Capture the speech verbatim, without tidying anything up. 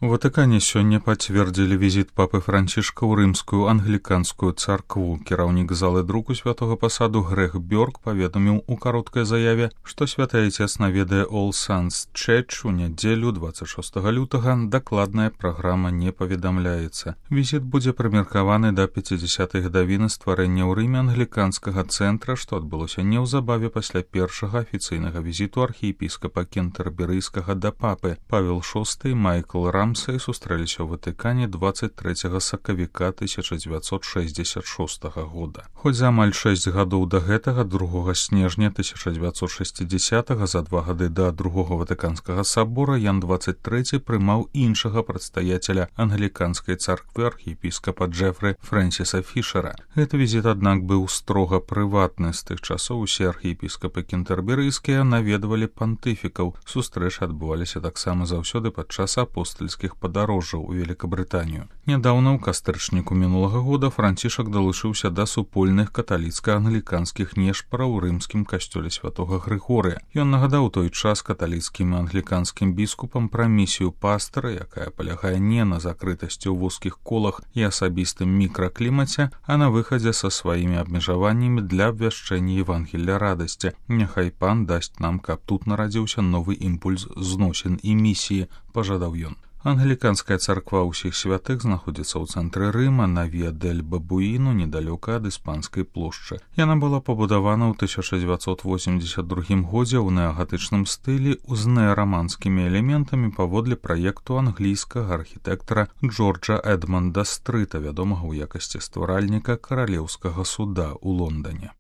У Ватыкане сёння пацвердзілі візіт папы Францішка ў рымскую англіканскую царкву. Кіраўнік залы друку святога пасаду Грег Бёрк паведаміў у кароткай заяве, што святы айцец наведае All Saints Church у нядзелю дваццаць шостага лютага. Дакладная праграма не паведамляецца. Візіт будзе прымеркаваны да пяцідзясятай гадавіны стварэння ў Рыме англіканскага цэнтра, што адбылося неўзабаве пасля першага афіцыйнага візіту архіепіскапа кентэрберыйскага да папы. Павел шосты і Майкл Рам сустрэліся ў Ватыкане дваццаць трэцяга сакавіка тысяча дзевяцьсот шэсцьдзесят шостага года. Хоць за амаль шэсць гадоў да гэтага, другога снежня тысяча дзевяцьсот шэсцідзесятага, за два гады да другога ватыканскага сабора, Ян дваццаць трэці прымаў іншага прадстаяцеля англіканскай царквы архіепіскапа Джэфры Фрэнсіса Фішера. Гэты візіт, аднак, быў строга прыватны. З тых часоў усе архіепіскапы кентэрберыйскія наведвалі пантыфікаў. Сустрэчы адбываліся таксама заўсёды падчас апостальскіх падарожжаў у Великабрытанію. Нядаўна ў кастрычніку мінулага года Францішак далучыўся да супольных каталіцка-англіканскіх нешпараў у рымскім касцёле святога Грыгорыя. Ён нагадаў той час каталіцкім і англіканскім біскупам пра місію пастара, якая палягае не на закрытасці ў вузкіх колах і асабістым мікраклімаце, а на выхадзе са сваімі абмежаваннямі для абвяшчэння Евангелля радасці. Няхай пан дасць нам, каб тут нарадзіўся новы імпульс зносін і місіі, пажадаў ён. Англіканская царква ўсіх святых знаходзіцца ў цэнтры Рыма на Віа-дэль-Бабуіну, недалёка ад іспанскай плошчы. Яна была пабудавана ў тысяча дзевяцьсот восемьдзесят другім годзе ў неагатычным стылі з неараманскімі элементамі паводле праекту англійскага архітэктара Джорджа Эдманда Стрыта, вядомага ў якасці стваральніка каралеўскага суда ў Лондане.